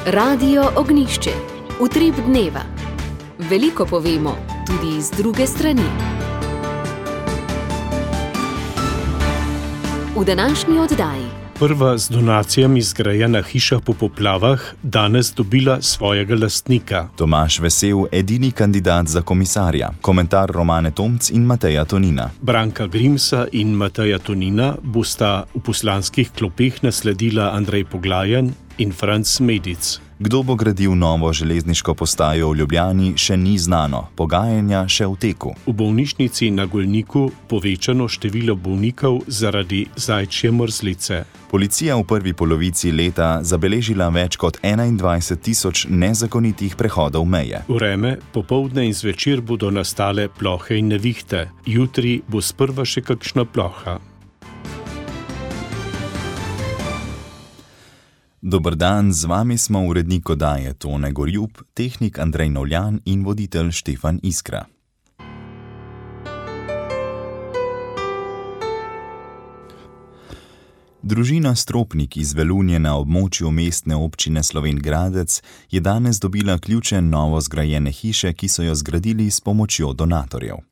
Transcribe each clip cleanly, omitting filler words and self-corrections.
Radio Ognišče, utrip dneva. Veliko povemo, tudi z druge strani. V današnji oddaji. Prva z donacijami zgrajena hiša po poplavah danes dobila svojega lastnika. Tomaž Vesel, edini kandidat za komisarja. Komentar Romane Tomc in Mateja Tonina. Branka Grimsa in Mateja Tonina bosta v poslanskih klopeh nasledila Andrej Poglajen in Franc Medic. Kdo bo gradil novo železniško postajo v Ljubljani, še ni znano. Pogajanja še v teku. V bolnišnici na Golniku povečano število bolnikov zaradi zajčje mrzlice. Policija v prvi polovici leta zabeležila več kot 21.000 nezakonitih prehodov meje. Vreme, popoldne in zvečer bodo nastale plohe in nevihte. Jutri bo sprva še kakšna ploha. Dober dan, z vami smo urednik oddaje Tone Gorjub, tehnik Andrej Novljan in voditelj Štefan Iskra. Družina Stropnik iz Velunje na območju mestne občine Slovenj Gradec je danes dobila ključe novo zgrajene hiše, ki so jo zgradili s pomočjo donatorjev.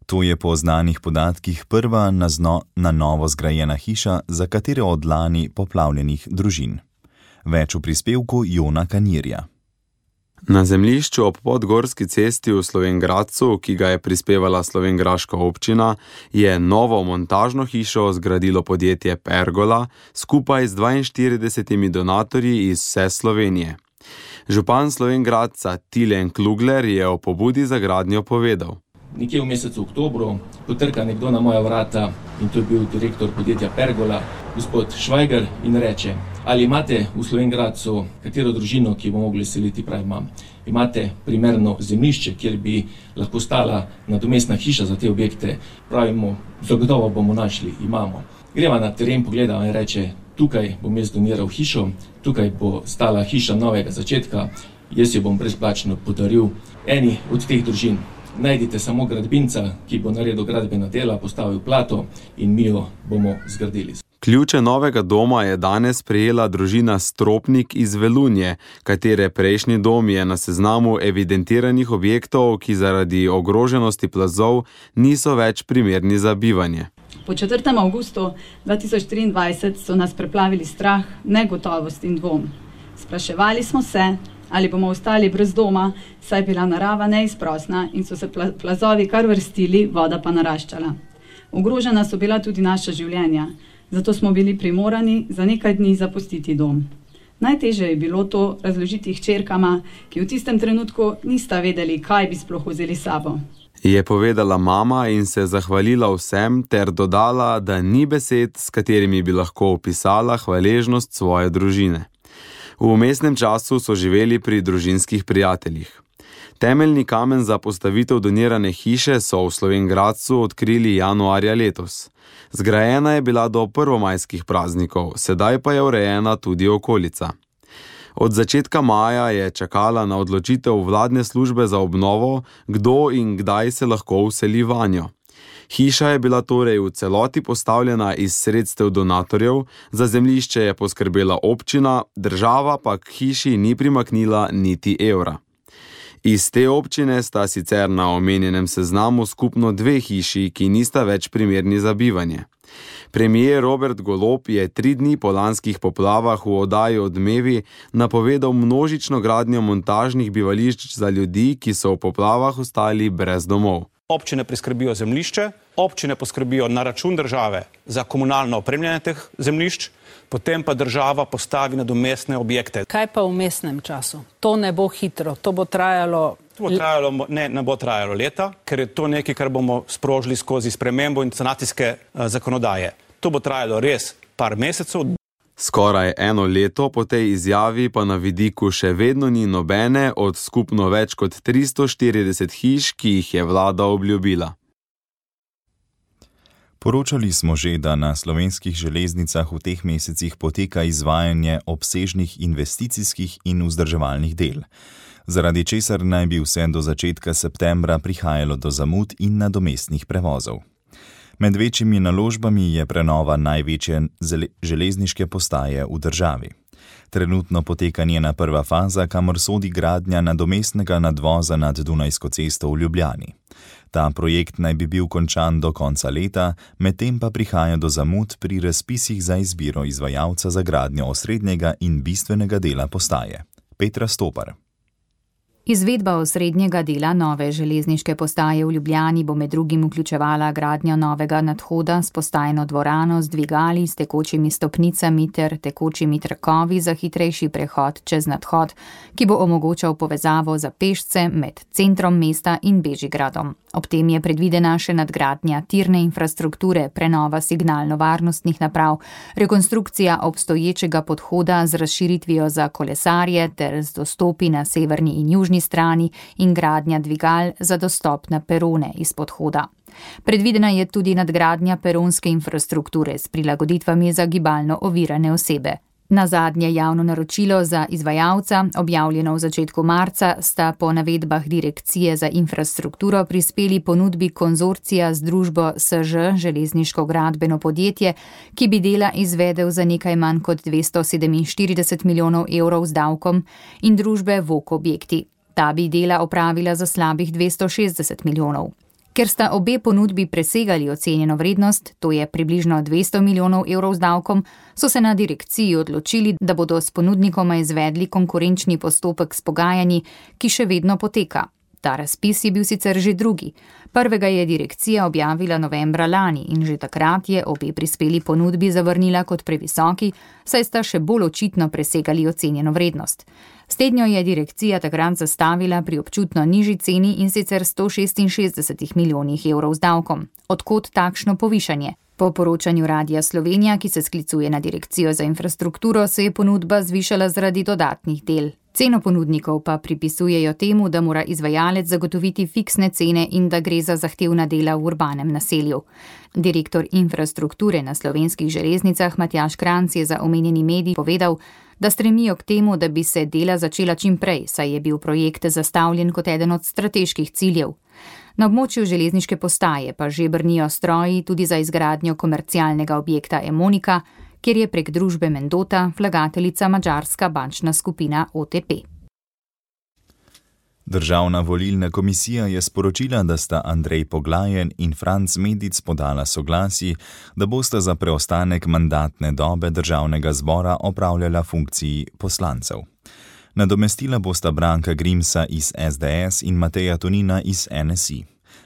To je po znanih podatkih prva na novo zgrajena hiša za katere od lani poplavljenih družin. Več v prispevku Jona Kanirja. Na zemljišču ob Podgorski cesti v Slovenj Gradcu, ki ga je prispevala slovenjgraška občina, je novo montažno hišo zgradilo podjetje Pergola skupaj z 42 donatorji iz vse Slovenije. Župan Slovenj Gradca Tilen Klugler je o pobudi za gradnjo povedal. Nekje v mesecu oktobru potrka nekdo na moja vrata in to je bil direktor podjetja Pergola, gospod Švajger, in reče: ali imate v Slovenj Gradcu katero družino, ki bo mogli seliti? Pravi, imam. Imate primerno zemljišče, kjer bi lahko stala nadomestna hiša za te objekte? Pravimo, zagotovo bomo našli, imamo. Greva na teren, pogledava in reče: tukaj bom jaz doniral hišo, tukaj bo stala hiša novega začetka, jaz jo bom brezplačno podaril eni od teh družin. Najdite samo gradbinca, ki bo naredil gradbena dela, postavil plato in mi jo bomo zgradili. Ključe novega doma je danes prejela družina Stropnik iz Velunje, katere prejšnji dom je na seznamu evidentiranih objektov, ki zaradi ogroženosti plazov niso več primerni za bivanje. Po 4. avgustu 2023 so nas preplavili strah, negotovost in dvom. Spraševali smo se, ali bomo ostali brez doma, saj je bila narava neizprosna in so se plazovi kar vrstili, voda pa naraščala. Ogrožena so bila tudi naša življenja, zato smo bili primorani za nekaj dni zapustiti dom. Najtežje je bilo to razložiti hčerkama, ki v tistem trenutku nista vedeli, kaj bi sploh vzeli sabo. Je povedala mama in se zahvalila vsem ter dodala, da ni besed, s katerimi bi lahko opisala hvaležnost svoje družine. V vmesnem času so živeli pri družinskih prijateljih. Temeljni kamen za postavitev donirane hiše so v Slovenj Gradcu odkrili januarja letos. Zgrajena je bila do prvomajskih praznikov, sedaj pa je urejena tudi okolica. Od začetka maja je čakala na odločitev vladne službe za obnovo, kdo in kdaj se lahko vseli vanjo. Hiša je bila torej v celoti postavljena iz sredstev donatorjev, za zemljišče je poskrbela občina, država pa k hiši ni primaknila niti evra. Iz te občine sta sicer na omenjenem seznamu skupno 2 hiši, ki nista več primerni za bivanje. Premier Robert Golob je 3 dni po lanskih poplavah v oddaji Odmevi napovedal množično gradnjo montažnih bivališč za ljudi, ki so v poplavah ostali brez domov. Občine priskrbijo zemljišče, občine poskrbijo na račun države za komunalno opremljanje teh zemljišč, potem pa država postavi nadomestne objekte. Kaj pa v vmesnem času? To ne bo hitro, to bo trajalo... Ne bo trajalo leta, ker je to nekaj, kar bomo sprožili skozi spremembo in sanacijske zakonodaje. To bo trajalo res par mesecev. Skoraj 1 leto po tej izjavi pa na vidiku še vedno ni nobene od skupno več kot 340 hiš, ki jih je vlada obljubila. Poročali smo že, da na slovenskih železnicah v teh mesecih poteka izvajanje obsežnih investicijskih in vzdrževalnih del, zaradi česar naj bi vse do začetka septembra prihajalo do zamud in nadomestnih prevozov. Med večjimi naložbami je prenova največje železniške postaje v državi. Trenutno poteka njena prva faza, kamor sodi gradnja nadomestnega nadvoza nad Dunajsko cesto v Ljubljani. Ta projekt naj bi bil končan do konca leta, medtem pa prihaja do zamud pri razpisih za izbiro izvajalca za gradnjo osrednjega in bistvenega dela postaje. Petra Stopar. Izvedba osrednjega dela nove železniške postaje v Ljubljani bo med drugim vključevala gradnjo novega nadhoda s postajno dvorano z dvigali, s tekočimi stopnicami ter tekočimi trakovi za hitrejši prehod čez nadhod, ki bo omogočal povezavo za pešce med centrom mesta in Bežigradom. Ob tem je predvidena še nadgradnja tirne infrastrukture, prenova signalno-varnostnih naprav, rekonstrukcija obstoječega podhoda z razširitvijo za kolesarje ter z dostopi na severni in južni strani in gradnja dvigal za dostop na perone iz podhoda. Predvidena je tudi nadgradnja peronske infrastrukture s prilagoditvami za gibalno ovirane osebe. Na zadnje javno naročilo za izvajalca, objavljeno v začetku marca, sta po navedbah Direkcije za infrastrukturo prispeli ponudbi konzorcija z družbo SŽ, železniško gradbeno podjetje, ki bi dela izvedel za nekaj manj kot 247 milijonov evrov z davkom, in družbe VOK Objekti. Ta bi dela opravila za slabih 260 milijonov. Ker sta obe ponudbi presegali ocenjeno vrednost, to je približno 200 milijonov evrov z davkom, so se na direkciji odločili, da bodo s ponudnikoma izvedli konkurenčni postopek s pogajanji, ki še vedno poteka. Ta razpis je bil sicer že drugi. Prvega je direkcija objavila novembra lani in že takrat je obe prispeli ponudbi zavrnila kot previsoki, saj sta še bolj očitno presegali ocenjeno vrednost. Slednjo je direkcija takrat zastavila pri občutno nižji ceni, in sicer 166 milijonih evrov z davkom. Odkot takšno povišanje? Po poročanju Radia Slovenija, ki se sklicuje na Direkcijo za infrastrukturo, se je ponudba zvišala zaradi dodatnih del. Ceno ponudnikov pa pripisujejo temu, da mora izvajalec zagotoviti fiksne cene in da gre za zahtevna dela v urbanem naselju. Direktor infrastrukture na Slovenskih železnicah Matjaž Kranjc je za omenjeni medij povedal, da stremijo k temu, da bi se dela začela čim prej, saj je bil projekt zastavljen kot eden od strateških ciljev. Na območju železniške postaje pa že brnijo stroji tudi za izgradnjo komercialnega objekta Emonika, kjer je prek družbe Mendota vlagateljica madžarska bančna skupina OTP. Državna volilna komisija je sporočila, da sta Andrej Poglajen in Franc Medic podala soglasji, da bosta za preostanek mandatne dobe državnega zbora opravljala funkciji poslancev. Nadomestila bosta Branka Grimsa iz SDS in Mateja Tonina iz NSI.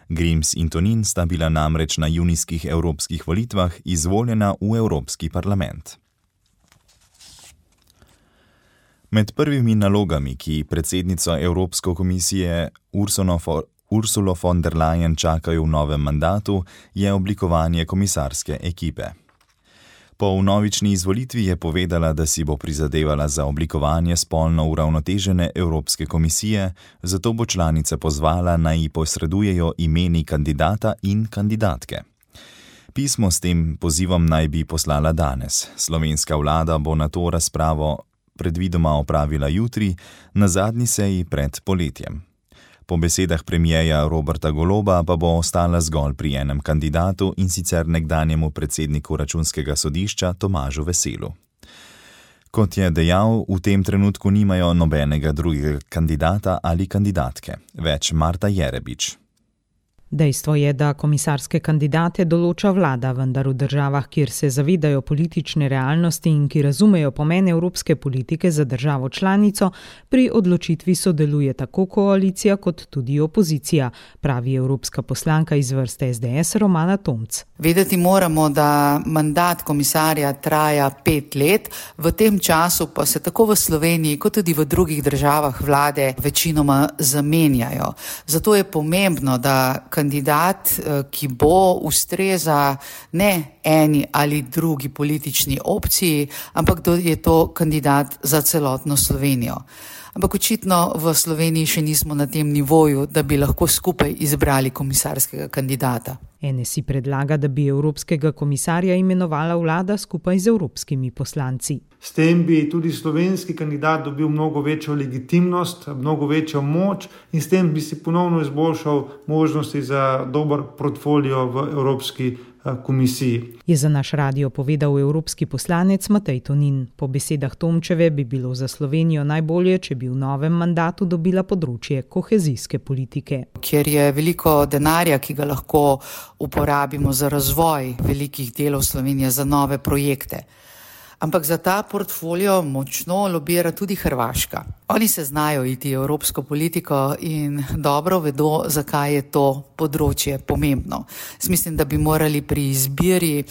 Grims in Tonin sta bila namreč na junijskih evropskih volitvah izvoljena v Evropski parlament. Med prvimi nalogami, ki predsednico Evropske komisije Ursulo von der Leyen čakajo v novem mandatu, je oblikovanje komisarske ekipe. Po vnovični izvolitvi je povedala, da si bo prizadevala za oblikovanje spolno uravnotežene Evropske komisije, zato bo članice pozvala, naj ji posredujejo imeni kandidata in kandidatke. Pismo s tem pozivom naj bi poslala danes. Slovenska vlada bo na to razpravo predvidoma opravila jutri, na zadnji seji pred poletjem. Po besedah premierja Roberta Goloba pa bo ostala zgolj pri enem kandidatu, in sicer nekdanjemu predsedniku Računskega sodišča Tomažu Veselu. Kot je dejal, v tem trenutku nimajo nobenega drugega kandidata ali kandidatke. Več Marta Jerebič. Dejstvo je, da komisarske kandidate določa vlada, vendar v državah, kjer se zavedajo politične realnosti in ki razumejo pomen evropske politike za državo članico, pri odločitvi sodeluje tako koalicija kot tudi opozicija, pravi evropska poslanka iz vrste SDS Romana Tomc. Vedeti moramo, da mandat komisarja traja 5 let, v tem času pa se tako v Sloveniji kot tudi v drugih državah vlade večinoma zamenjajo. Zato je pomembno, da kandidat, ki bo ustreza ne eni ali drugi politični opciji, ampak da je to kandidat za celotno Slovenijo. Ampak očitno v Sloveniji še nismo na tem nivoju, da bi lahko skupaj izbrali komisarskega kandidata. NSI predlaga, da bi evropskega komisarja imenovala vlada skupaj z evropskimi poslanci. S tem bi tudi slovenski kandidat dobil mnogo večjo legitimnost, mnogo večjo moč in s tem bi si ponovno izboljšal možnosti za dober portfolio v Evropski komisiji. Je za naš radio povedal evropski poslanec Matej Tonin. Po besedah Tomčeve bi bilo za Slovenijo najbolje, če bi v novem mandatu dobila področje kohezijske politike. Kjer je veliko denarja, ki ga lahko uporabimo za razvoj velikih delov Slovenije, za nove projekte. Ampak za ta portfolio močno lobira tudi Hrvaška. Oni se znajo iti evropsko politiko in dobro vedo, zakaj je to področje pomembno. Mislim, da bi morali pri izbiri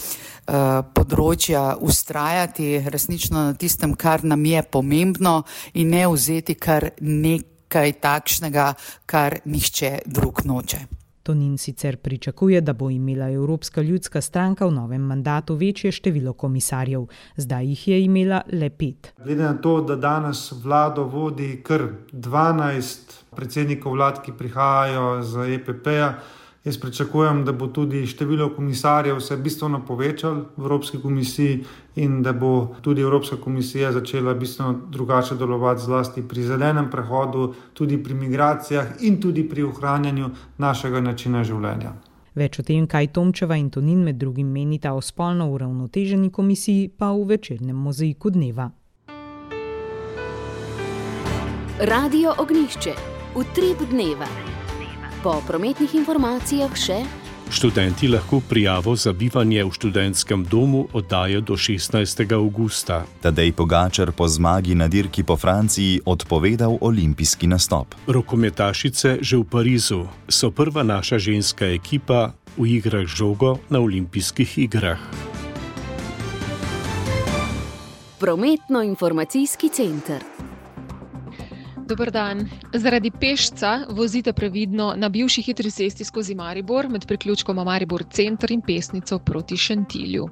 področja vztrajati resnično na tistem, kar nam je pomembno in ne vzeti kar nekaj takšnega, kar nihče drug noče. Tonin sicer pričakuje, da bo imela Evropska ljudska stranka v novem mandatu večje število komisarjev. Zdaj jih je imela le 5. Glede na to, da danes vlado vodi kar 12 predsednikov vlad, ki prihajajo z EPP-ja, jaz pričakujem, da bo tudi število komisarjev se bistveno povečalo v Evropski komisiji in da bo tudi Evropska komisija začela bistveno drugače delovati zlasti pri zelenem prehodu, tudi pri migracijah in tudi pri ohranjanju našega načina življenja. Več o tem, kaj Tomčeva in Tonin med drugim menita o spolno uravnoteženi komisiji, pa v večernem mozaiku dneva. Radio Ognjišče. Utrip dneva. Po prometnih informacijah še: študenti lahko prijavo za bivanje v študentskem domu oddajo do 16. avgusta. Tadej Pogačar po zmagi na dirki po Franciji odpovedal olimpijski nastop. Rokometašice že v Parizu so prva naša ženska ekipa v igrah z žogo na olimpijskih igrah. Prometno-informacijski center. Dober dan. Zaradi pešca vozite previdno na bivši hitri cesti skozi Maribor med priključkoma Maribor Center in Pesnico proti Šentilju.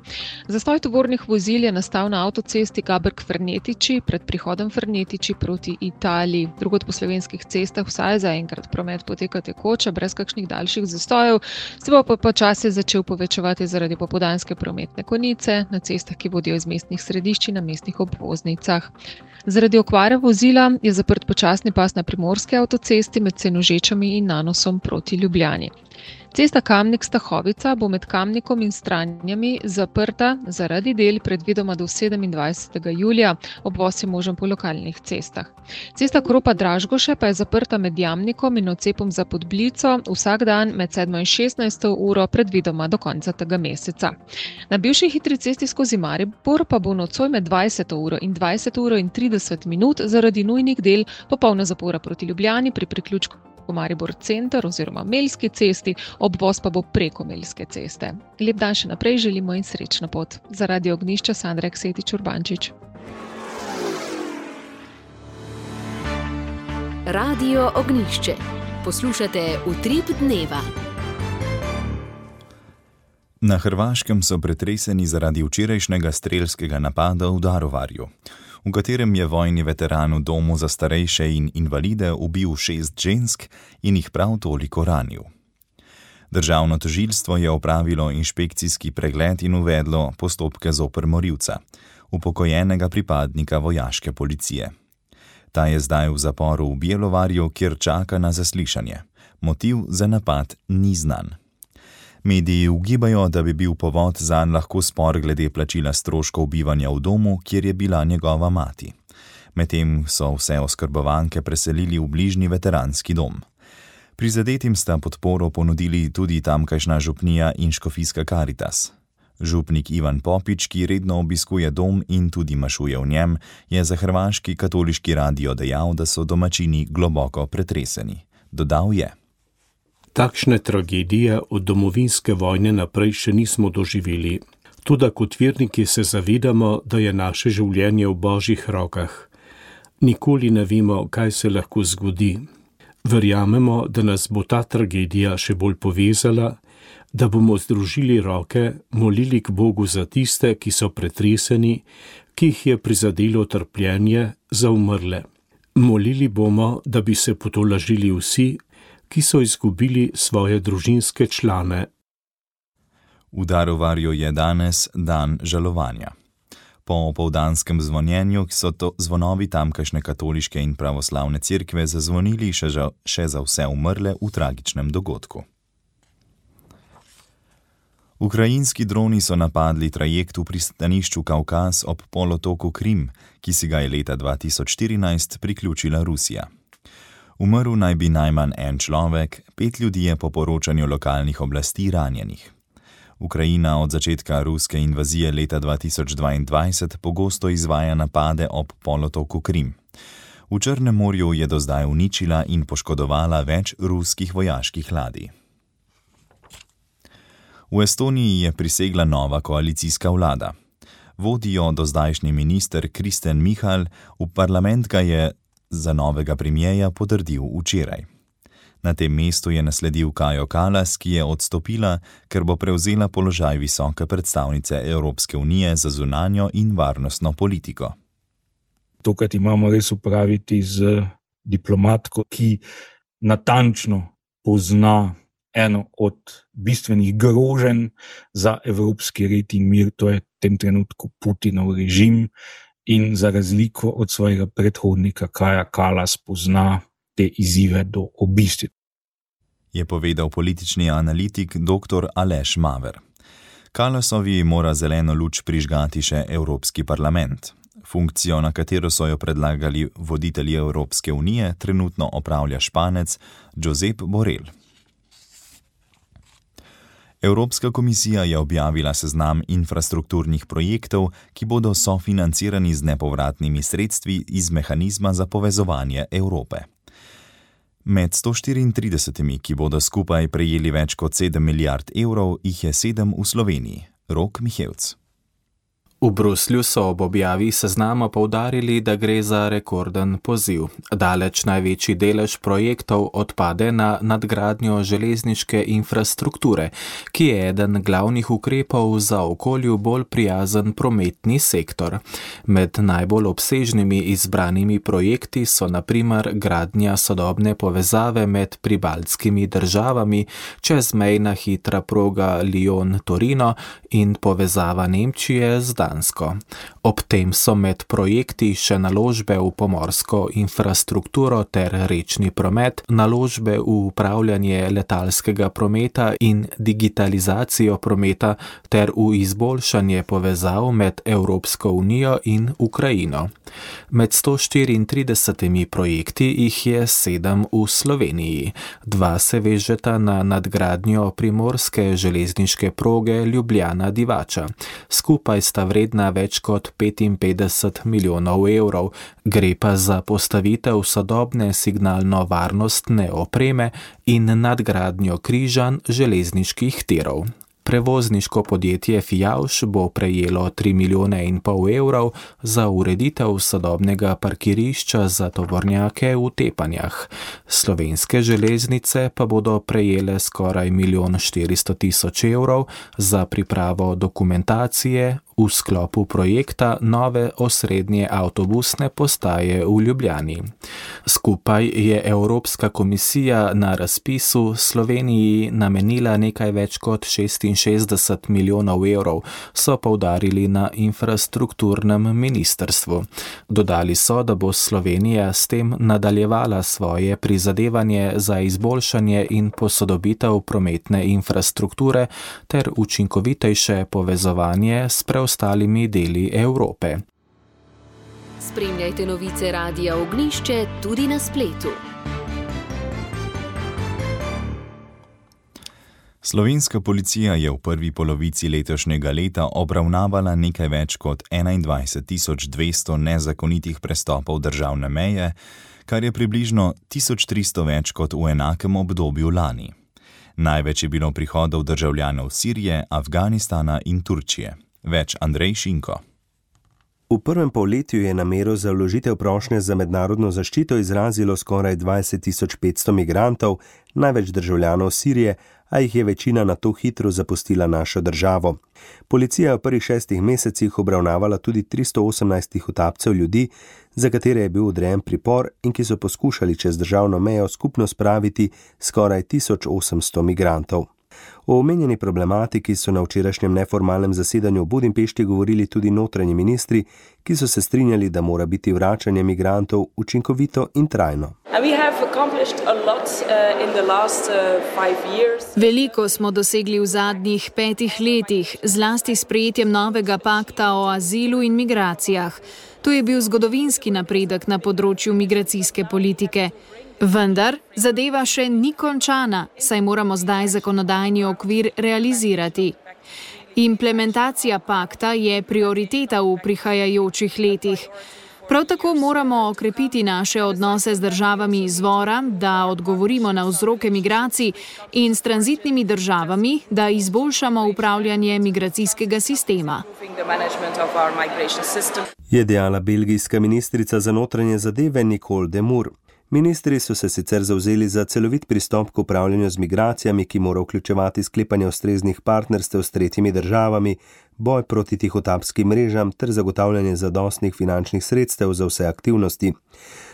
Zastoj tovornih vozil je nastal na avtocesti Gaberg-Fernetiči pred prihodom Fernetiči proti Italiji. Drugod po slovenskih cestah vsaj zaenkrat promet poteka tekoče, brez kakšnih daljših zastojev, se bo pa počasi začel povečevati zaradi popoldanske prometne konice na cestah, ki vodijo iz mestnih središč in na mestnih obvoznicah. Zaradi okvare vozila je zaprt počasni pas na primorski avtocesti med Senožečami in Nanosom proti Ljubljani. Cesta Kamnik-Stahovica bo med Kamnikom in Stranjami zaprta zaradi del predvidoma do 27. julija, obvoz je možen po lokalnih cestah. Cesta Kropa-Dražgoše pa je zaprta med Jamnikom in odcepom za Podblico vsak dan med 7. in 16. uro predvidoma do konca tega meseca. Na bivši hitri cesti skozi Maribor pa bo nocoj med 20. uro in 20. uro in 30 minut zaradi nujnih del popolna zapora proti Ljubljani pri priključku Maribor Center oziroma Melski cesti, obvoz pa bo preko Melske ceste. Lep dan še naprej želimo in srečno pot. Za Radio Ognjišče Sandra Eksetič-Urbančič. Radio Ognjišče. Poslušate Utrip dneva. Na Hrvaškem so pretreseni zaradi včerajšnjega strelskega napada v Daruvarju, v katerem je vojni veteran v domu za starejše in invalide ubil 6 žensk in jih prav toliko ranil. Državno tožilstvo je opravilo inšpekcijski pregled in uvedlo postopke zoper morilca, upokojenega pripadnika vojaške policije. Ta je zdaj v zaporu v Bjelovarju, kjer čaka na zaslišanje. Motiv za napad ni znan. Mediji ugibajo, da bi bil povod zanj lahko spor glede plačila stroškov bivanja v domu, kjer je bila njegova mati. Medtem so vse oskrbovanke preselili v bližnji veteranski dom. Prizadetim sta podporo ponudili tudi tamkajšnja župnija in škofijska Karitas. Župnik Ivan Popič, ki redno obiskuje dom in tudi mašuje v njem, je za hrvaški katoliški radio dejal, da so domačini globoko pretreseni. Dodal je: Takšne tragedije od domovinske vojne naprej še nismo doživeli. Toda kot verniki se zavedamo, da je naše življenje v Božjih rokah. Nikoli ne vemo, kaj se lahko zgodi. Verjamemo, da nas bo ta tragedija še bolj povezala, da bomo združili roke, molili k Bogu za tiste, ki so pretreseni, ki jih je prizadelo trpljenje, za umrle. Molili bomo, da bi se potolažili vsi, ki so izgubili svoje družinske člane. V Daruvarju je danes dan žalovanja. Po opoldanskem zvonjenju so to zvonovi tamkajšnje katoliške in pravoslavne cerkve zazvonili še za vse umrle v tragičnem dogodku. Ukrajinski droni so napadli trajekt v pristanišču Kavkaz ob polotoku Krim, ki si ga je leta 2014 priključila Rusija. Umrl naj bi najmanj en človek, 5 ljudi je po poročanju lokalnih oblasti ranjenih. Ukrajina od začetka ruske invazije leta 2022 pogosto izvaja napade ob polotoku Krim. V Črnem morju je do zdaj uničila in poškodovala več ruskih vojaških ladij. V Estoniji je prisegla nova koalicijska vlada. Vodi jo dozdajšnji minister Kristen Michal, v parlament ga je za novega premijeja potrdil včeraj. Na tem mestu je nasledil Kajo Kallas, ki je odstopila, ker bo prevzela položaj visoke predstavnice Evropske unije za zunanjo in varnostno politiko. Tokrat imamo res upraviti z diplomatko, ki natančno pozna eno od bistvenih groženj za evropski red in mir, to je v tem trenutku Putinov režim, in za razliko od svojega predhodnika Kaja Kallas pozna te izzive do obisti. Je povedal politični analitik dr. Aleš Maver. Kallasovi mora zeleno luč prižgati še Evropski parlament. Funkcijo, na katero so jo predlagali voditelji Evropske unije, trenutno opravlja Španec Josep Borrell. Evropska komisija je objavila seznam infrastrukturnih projektov, ki bodo sofinancirani z nepovratnimi sredstvi iz mehanizma za povezovanje Evrope. Med 134, ki bodo skupaj prejeli več kot 7 milijard evrov, jih je 7 v Sloveniji. Rok Mihevc. V Bruslju so ob objavi seznama poudarili, da gre za rekorden poziv. Daleč največji delež projektov odpade na nadgradnjo železniške infrastrukture, ki je eden glavnih ukrepov za okolju bolj prijazen prometni sektor. Med najbolj obsežnimi izbranimi projekti so na primer gradnja sodobne povezave med pribaltskimi državami, čezmejna hitra proga Lyon-Torino in povezava Nemčije z Dansko. Ob tem so med projekti še naložbe v pomorsko infrastrukturo ter rečni promet, naložbe v upravljanje letalskega prometa in digitalizacijo prometa ter v izboljšanje povezav med Evropsko unijo in Ukrajino. Med 134 projekti jih je 7 v Sloveniji. 2 se vežeta na nadgradnjo primorske železniške proge Ljubljana-Divača. Skupaj sta vredna več kot 55 milijonov evrov, gre pa za postavitev sodobne signalno-varnostne opreme in nadgradnjo križanj železniških tirov. Prevozniško podjetje Fijavž bo prejelo 3,5 milijona evrov za ureditev sodobnega parkirišča za tovornjake v Tepanjah. Slovenske železnice pa bodo prejele skoraj 1,4 milijon evrov za pripravo dokumentacije v sklopu projekta nove osrednje avtobusne postaje v Ljubljani. Skupaj je Evropska komisija na razpisu Sloveniji namenila nekaj več kot 66 milijonov evrov, so poudarili na infrastrukturnem ministrstvu. Dodali so, da bo Slovenija s tem nadaljevala svoje prizadevanje za izboljšanje in posodobitev prometne infrastrukture ter učinkovitejše povezovanje s preostalimi deli Evrope. Spremljajte novice Radia Ognjišče tudi na spletu. Slovenska policija je v prvi polovici letošnjega leta obravnavala nekaj več kot 21.200 nezakonitih prestopov državne meje, kar je približno 1300 več kot v enakem obdobju lani. Največ je bilo prihodov državljanov Sirije, Afganistana in Turčije. Več Andrej Šinko. V prvem polletju je namero za vložitev prošnje za mednarodno zaščito izrazilo skoraj 20.500 migrantov, največ državljanov Sirije, a jih je večina nato hitro zapustila našo državo. Policija je v prvih 6 mesecih obravnavala tudi 318 tihotapcev ljudi, za katere je bil odrejen pripor in ki so poskušali čez državno mejo skupno spraviti skoraj 1800 migrantov. O omenjeni problematiki so na včerajšnjem neformalnem zasedanju v Budimpešti govorili tudi notranji ministri, ki so se strinjali, da mora biti vračanje migrantov učinkovito in trajno. We have Veliko smo dosegli v zadnjih 5 letih, zlasti s sprejetjem novega pakta o azilu in migracijah. To je bil zgodovinski napredek na področju migracijske politike. Vendar zadeva še ni končana, saj moramo zdaj zakonodajni okvir realizirati. Implementacija pakta je prioriteta v prihajajočih letih. Prav tako moramo okrepiti naše odnose z državami izvora, da odgovorimo na vzroke migracij, in s tranzitnimi državami, da izboljšamo upravljanje migracijskega sistema. Je dejala belgijska ministrica za notranje zadeve Nicole Demur. Ministri so se sicer zavzeli za celovit pristop k upravljanju z migracijami, ki mora vključevati sklepanje ustreznih partnerstev s tretjimi državami, boj proti tihotapskim mrežam ter zagotavljanje zadostnih finančnih sredstev za vse aktivnosti.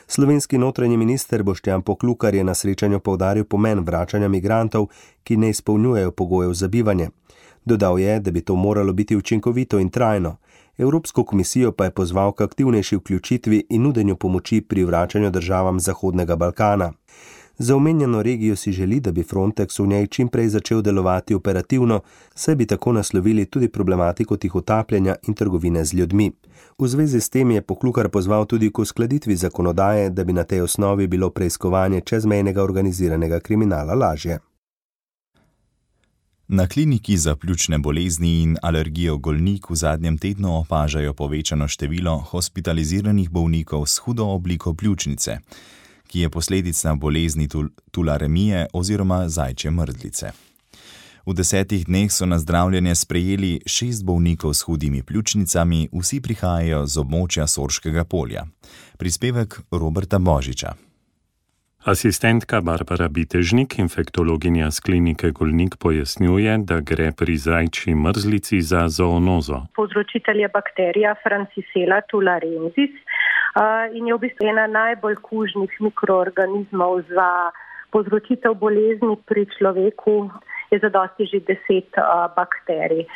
Slovenski notranji minister Boštjan Poklukar je na srečanju poudaril pomen vračanja migrantov, ki ne izpolnjujejo pogojev za bivanje. Dodal je, da bi to moralo biti učinkovito in trajno. Evropsko komisijo pa je pozval k aktivnejši vključitvi in nudenju pomoči pri vračanju državam Zahodnega Balkana. Za omenjeno regijo si želi, da bi Frontex v njej čimprej začel delovati operativno, saj bi tako naslovili tudi problematiko tihotapljanja in trgovine z ljudmi. V zvezi s tem je Poklukar pozval tudi k uskladitvi zakonodaje, da bi na tej osnovi bilo preiskovanje čezmejnega organiziranega kriminala lažje. Na kliniki za pljučne bolezni in alergijo Golnik v zadnjem tednu opažajo povečano število hospitaliziranih bolnikov s hudo obliko pljučnice, ki je posledica bolezni tularemije oziroma zajčje mrzlice. V 10 dneh so na zdravljenje sprejeli 6 bolnikov s hudimi pljučnicami, vsi prihajajo z območja Sorškega polja. Prispevek Roberta Božiča. Asistentka Barbara Bitežnik, infektologinja z klinike Golnik, pojasnjuje, da gre pri zajčji mrzlici za zoonozo. Povzročitelj je bakterija Francisella tularensis in je v bistvu ena najbolj kužnih mikroorganizmov za povzročitev bolezni pri človeku. Je zadosti že 10 bakterij.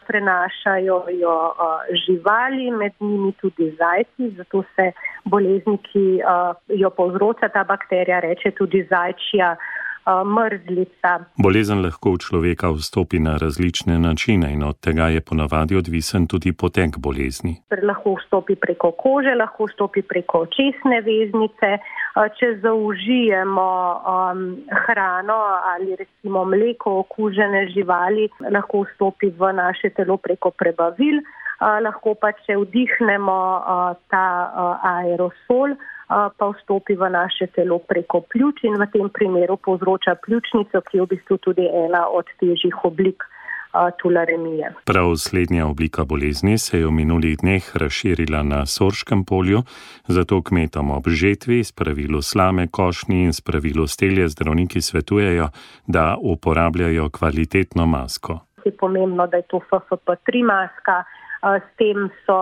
Prenašajo jo živali, med njimi tudi zajci, zato se bolezni, ki jo povzroča ta bakterija, reče tudi zajčja mrzlica. Bolezen lahko v človeka vstopi na različne načine in od tega je ponavadi odvisen tudi potek bolezni. Lahko vstopi preko kože, lahko vstopi preko očesne veznice. Če zaužijemo hrano ali recimo mleko okužene živali, lahko vstopi v naše telo preko prebavil, lahko pa če vdihnemo ta aerosol, pa vstopi v naše telo preko pljuč in v tem primeru povzroča pljučnico, ki je v bistvu tudi ena od težjih oblik tularemije. Prav slednja oblika bolezni se je v minulih dneh razširila na Sorškem polju, zato kmetom ob žetvi, spravilu slame, košnji in spravilu stelje zdravniki svetujejo, da uporabljajo kvalitetno masko. Je pomembno, da je to FFP3 maska. S tem so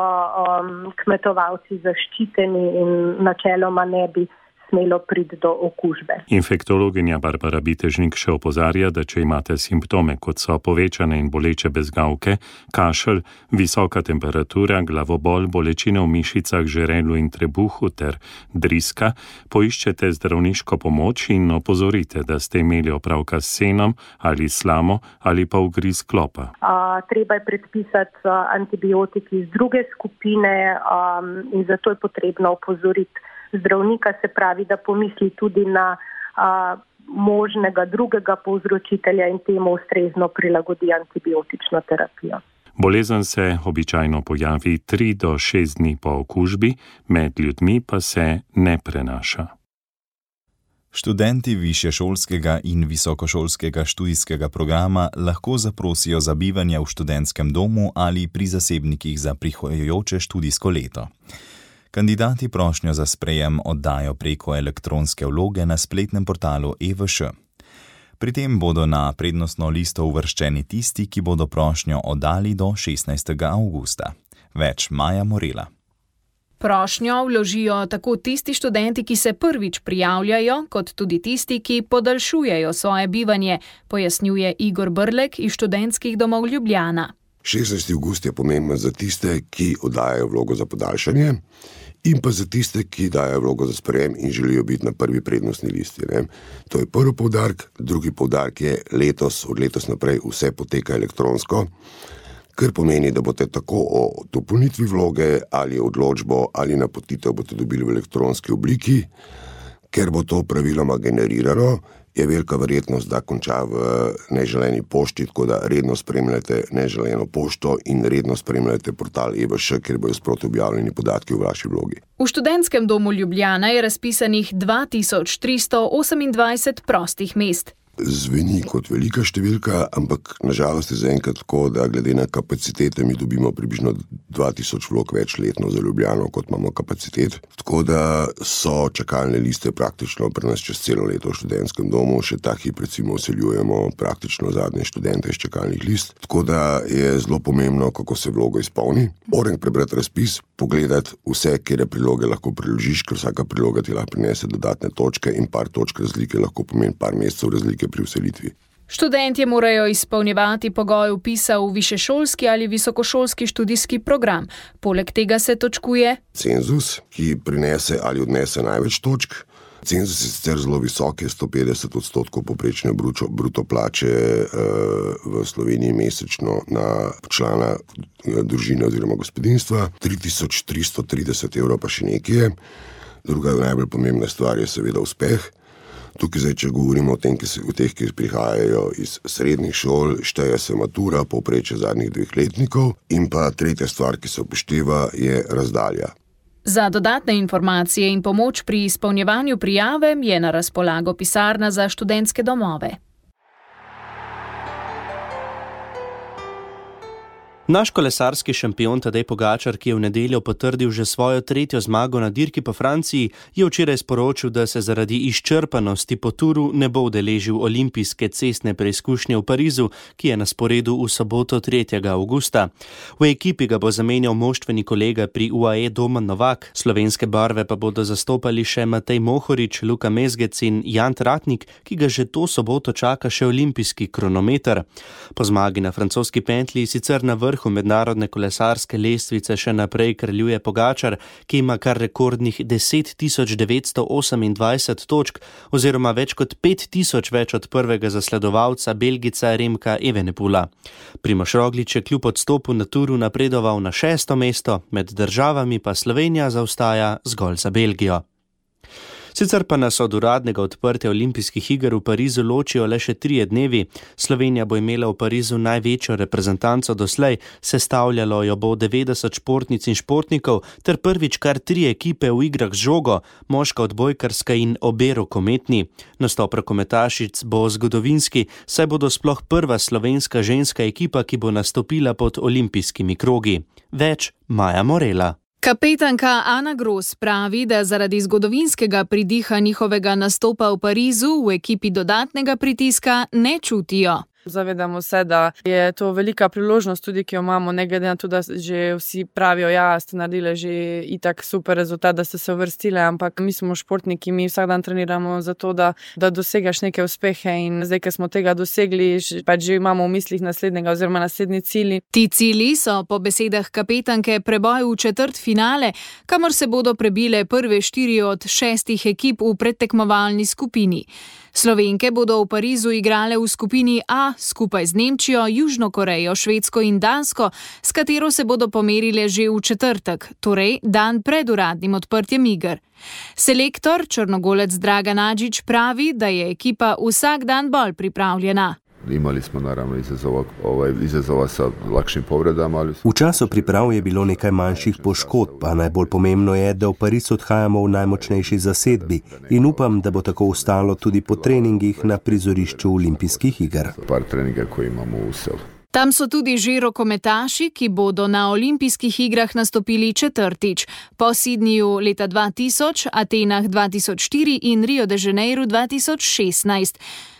kmetovalci zaščiteni in načeloma ne bi smelo priti do okužbe. Infektologinja Barbara Bitežnik še opozarja, da če imate simptome, kot so povečane in boleče bezgavke, kašelj, visoka temperatura, glavobol, bolečine v mišicah, žrelu in trebuhu ter driska, poiščete zdravniško pomoč in opozorite, da ste imeli opravka s senom ali slamo ali pa ugriz klopa. Treba je predpisati antibiotiki iz druge skupine in zato je potrebno opozoriti zdravnika, se pravi, da pomisli tudi na možnega drugega povzročitelja in temu ustrezno prilagodi antibiotično terapijo. Bolezen se običajno pojavi 3 do 6 dni po okužbi, med ljudmi pa se ne prenaša. Študenti višješolskega in visokošolskega študijskega programa lahko zaprosijo za bivanje v študentskem domu ali pri zasebnikih za prihajajoče študijsko leto. Kandidati prošnjo za sprejem oddajo preko elektronske vloge na spletnem portalu EVŠ. Pri tem bodo na prednostno listo uvrščeni tisti, ki bodo prošnjo oddali do 16. avgusta. Več Maja Morela. Prošnjo vložijo tako tisti študenti, ki se prvič prijavljajo, kot tudi tisti, ki podaljšujejo svoje bivanje, pojasnjuje Igor Brlek iz Študentskih domov Ljubljana. 16. avgust je pomemben za tiste, ki oddajajo vlogo za podaljšanje in pa za tiste, ki dajo vlogo za sprejem in želijo biti na prvi prednostni listi. Ne. To je prvi poudarek. Drugi poudarek je od letos naprej vse poteka elektronsko, kar pomeni, da boste tako o dopolnitvi vloge ali odločbo ali napotitev boste dobili v elektronski obliki. Ker bo to praviloma generirano, je velika verjetnost, da konča v neželeni pošti, tako da redno spremljate neželeno pošto in redno spremljate portal EVŠ, kjer bojo sproti objavljeni podatki o vaši vlogi. V študentskem domu Ljubljana je razpisanih 2328 prostih mest. Zveni kot velika številka, ampak nažalost je zaenkrat tako, da glede na kapacitete mi dobimo približno 2000 vlog več letno za Ljubljano, kot imamo kapacitet. Tako da so čakalne liste praktično pri nas čez celo leto v študentskem domu, še ta hip recimo vseljujemo praktično zadnje študente iz čakalnih list. Tako da je zelo pomembno, kako se vlogo izpolni. Moram prebrati razpis, pogledati vse, kjer priloge lahko priložiš, ker vsaka priloga ti lahko prinese dodatne točke in par točk razlike lahko pomeni par mesecev razlike pri vselitvi. Študentje morajo izpolnjevati pogoj vpisa v višješolski ali visokošolski študijski program. Poleg tega se točkuje cenzus, ki prinese ali odnese največ točk. Cenzus je sicer zelo visok, je 150% povprečne bruto plače v Sloveniji mesečno na člana družine oziroma gospodinjstva, 3330 evrov pa še nekaj. Druga najbolj pomembna stvar je seveda uspeh. Tukaj zdaj, če govorimo o teh, ki prihajajo iz srednjih šol, šteje se matura, povprečje zadnjih 2 letnikov in pa tretja stvar, ki se upošteva, je razdalja. Za dodatne informacije in pomoč pri izpolnjevanju prijave je na razpolago pisarna za študentske domove. Naš kolesarski šampion Tadej Pogačar, ki je v nedeljo potrdil že svojo 3. zmago na dirki po Franciji, je včeraj sporočil, da se zaradi izčrpanosti po turu ne bo udeležil olimpijske cestne preizkušnje v Parizu, ki je na sporedu v soboto 3. avgusta. V ekipi ga bo zamenjal moštveni kolega pri UAE Domen Novak, slovenske barve pa bodo zastopali še Matej Mohorič, Luka Mezgec in Jan Tratnik, ki ga že to soboto čaka še olimpijski kronometer. Po zmagi na francoski pentlji sicer na vrhu mednarodne kolesarske lestvice še naprej kraljuje Pogačar, ki ima kar rekordnih 10.928 točk oziroma več kot 5000 več od prvega zasledovalca Belgica Remka Evenepoela. Primož Roglič je kljub odstopu na turu napredoval na 6. mesto, med državami pa Slovenija zaostaja zgolj za Belgijo. Sicer pa nas od uradnega odprtja olimpijskih iger v Parizu ločijo le še 3 dnevi. Slovenija bo imela v Parizu največjo reprezentanco doslej, sestavljalo jo bo 90 športnic in športnikov ter prvič kar 3 ekipe v igrah z žogo, moška odbojkarska in obe rokometni. Nastop rokometašic bo zgodovinski, saj bodo sploh prva slovenska ženska ekipa, ki bo nastopila pod olimpijskimi krogi. Več Maja Morela. Kapetanka Ana Gros pravi, da zaradi zgodovinskega pridiha njihovega nastopa v Parizu v ekipi dodatnega pritiska ne čutijo. Zavedamo se, da je to velika priložnost tudi, ki jo imamo, ne glede na to, da že vsi pravijo, ja, ste naredili že itak super rezultat, da ste se uvrstili, ampak mi smo športniki, mi vsak dan treniramo za to, da dosegaš neke uspehe in zdaj, ko smo tega dosegli, pač že imamo v mislih naslednjega oziroma naslednji cilji. Ti cilji so po besedah kapetanke preboj v četrtfinale, kamor se bodo prebile prve 4 od 6 ekip v predtekmovalni skupini. Slovenke bodo v Parizu igrale v skupini A skupaj z Nemčijo, Južno Korejo, Švedsko in Dansko, s katero se bodo pomerile že v četrtek, torej dan pred uradnim odprtjem iger. Selektor črnogolec Dragan Adžić pravi, da je ekipa vsak dan bolj pripravljena. Imali smo naravno izazova sa lakšim povredama. V času priprav je bilo nekaj manjših poškodb, a najbolj pomembno je, da v Pariz odhajamo v najmočnejši zasedbi in upam, da bo tako ostalo tudi po treningih na prizorišču olimpijskih iger. Par treninga, koji imamo v selu. Tam so tudi že rokometaši, ki bodo na olimpijskih igrah nastopili četrtič, po Sydneyju leta 2000, Atenah 2004 in Rio de Janeiro 2016.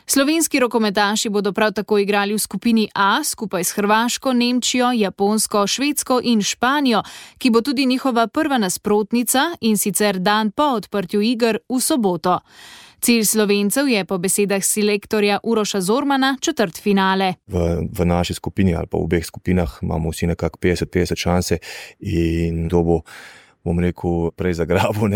Slovenski rokometaši bodo prav tako igrali v skupini A skupaj s Hrvaško, Nemčijo, Japonsko, Švedsko in Španijo, ki bo tudi njihova prva nasprotnica in sicer dan po odprtju iger v soboto. Cilj Slovencev je po besedah selektorja Uroša Zormana četrtfinale. V naši skupini ali pa v obeh skupinah imamo vsi nekako 50-50 šanse in to bom rekel, prej zagrabil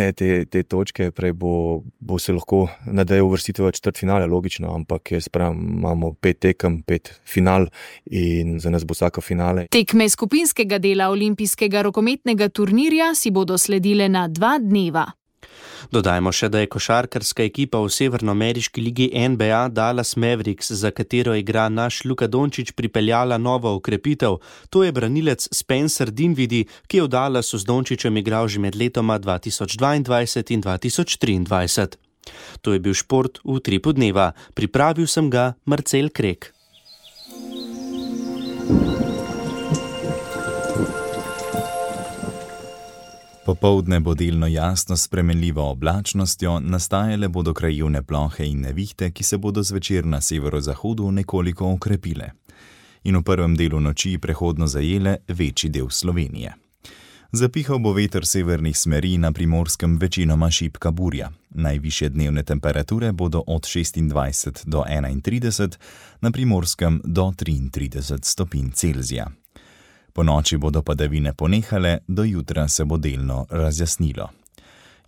te točke, prej bo se lahko nadejal uvrstitev v četrtfinale, logično, ampak jaz pravim, imamo 5 tekem, 5 final in za nas bo vsaka finale. Tekme skupinskega dela olimpijskega rokometnega turnirja si bodo sledile na 2 dneva. Dodajmo še, da je košarkarska ekipa v severnoameriški ligi NBA Dallas Mavericks, za katero igra naš Luka Dončić, pripeljala novo okrepitev. To je branilec Spencer Dinwiddie, ki je v Dallasu z Dončićem igral že med letoma 2022 in 2023. To je bil šport v Utripu dneva. Pripravil sem ga Marcel Krek. Popoldne bo delno jasno s spremenljivo oblačnostjo, nastajale bodo krajevne plohe in nevihte, ki se bodo zvečer na severozahodu nekoliko okrepile. In v prvem delu noči prehodno zajele večji del Slovenije. Zapihal bo veter severnih smeri, na Primorskem večinoma šibka burja. Najvišje dnevne temperature bodo od 26 do 31, na Primorskem do 33 stopinj Celzija. Po noči bodo padavine ponehale, do jutra se bo delno razjasnilo.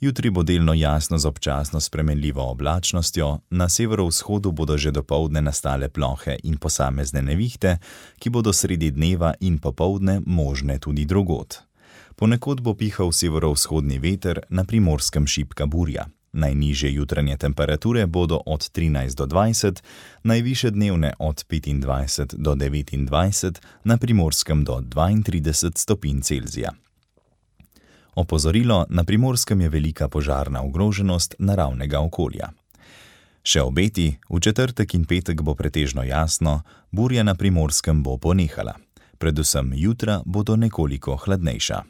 Jutri bo delno jasno z občasno spremenljivo oblačnostjo, na severovzhodu bodo že dopoldne nastale plohe in posamezne nevihte, ki bodo sredi dneva in popoldne možne tudi drugod. Ponekod bo pihal severovzhodni veter, na Primorskem šibka burja. Najnižje jutranje temperature bodo od 13 do 20, najvišje dnevne od 25 do 29, na Primorskem do 32 stopinj Celzija. Opozorilo, na Primorskem je velika požarna ogroženost naravnega okolja. Še obeti, v četrtek in petek bo pretežno jasno, burja na Primorskem bo ponehala. Predvsem jutra bodo nekoliko hladnejša.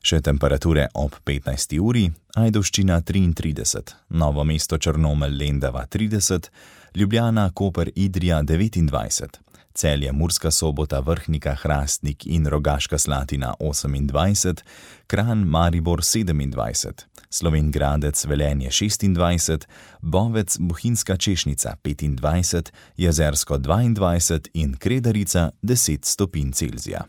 Še temperature ob 15. uri, Ajdovščina 33, Novo mesto Črnomelj Lendava 30, Ljubljana Koper Idrija 29, Celje Murska Sobota Vrhnika Hrastnik in Rogaška Slatina 28, Kranj Maribor 27, Slovenj Gradec Velenje 26, Bovec Bohinjska Češnica 25, Jezersko 22 in Kredarica 10 stopinj Celzija.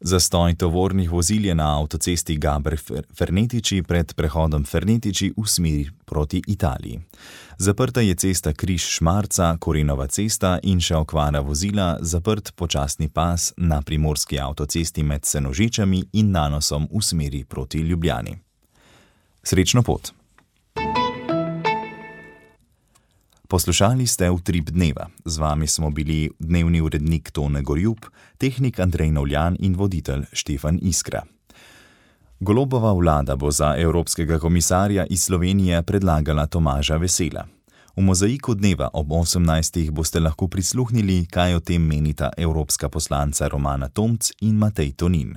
Zastoj tovornih vozil je na avtocesti Gaber-Fernetiči pred prehodom Fernetiči v smeri proti Italiji. Zaprta je cesta Križ-Šmarca, Korenova cesta in še okvara vozila, zaprt počasni pas na primorski avtocesti med Senožečami in Nanosom v smeri proti Ljubljani. Srečno pot! Poslušali ste Utrip dneva. Z vami smo bili dnevni urednik Tone Gorjup, tehnik Andrej Novljan in voditelj Štefan Iskra. Golobova vlada bo za evropskega komisarja iz Slovenije predlagala Tomaža Vesela. V mozaiku dneva ob 18. boste lahko prisluhnili, kaj o tem menita evropska poslanca Romana Tomc in Matej Tonin.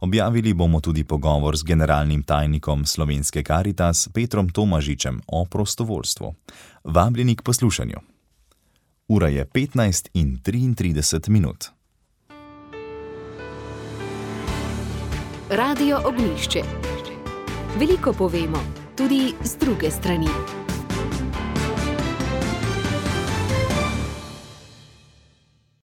Objavili bomo tudi pogovor z generalnim tajnikom Slovenske Karitas Petrom Tomažičem o prostovoljstvu. Vabljeni k poslušanju. Ura je 15:33. Radio Ognjišče. Veliko povemo, tudi z druge strani.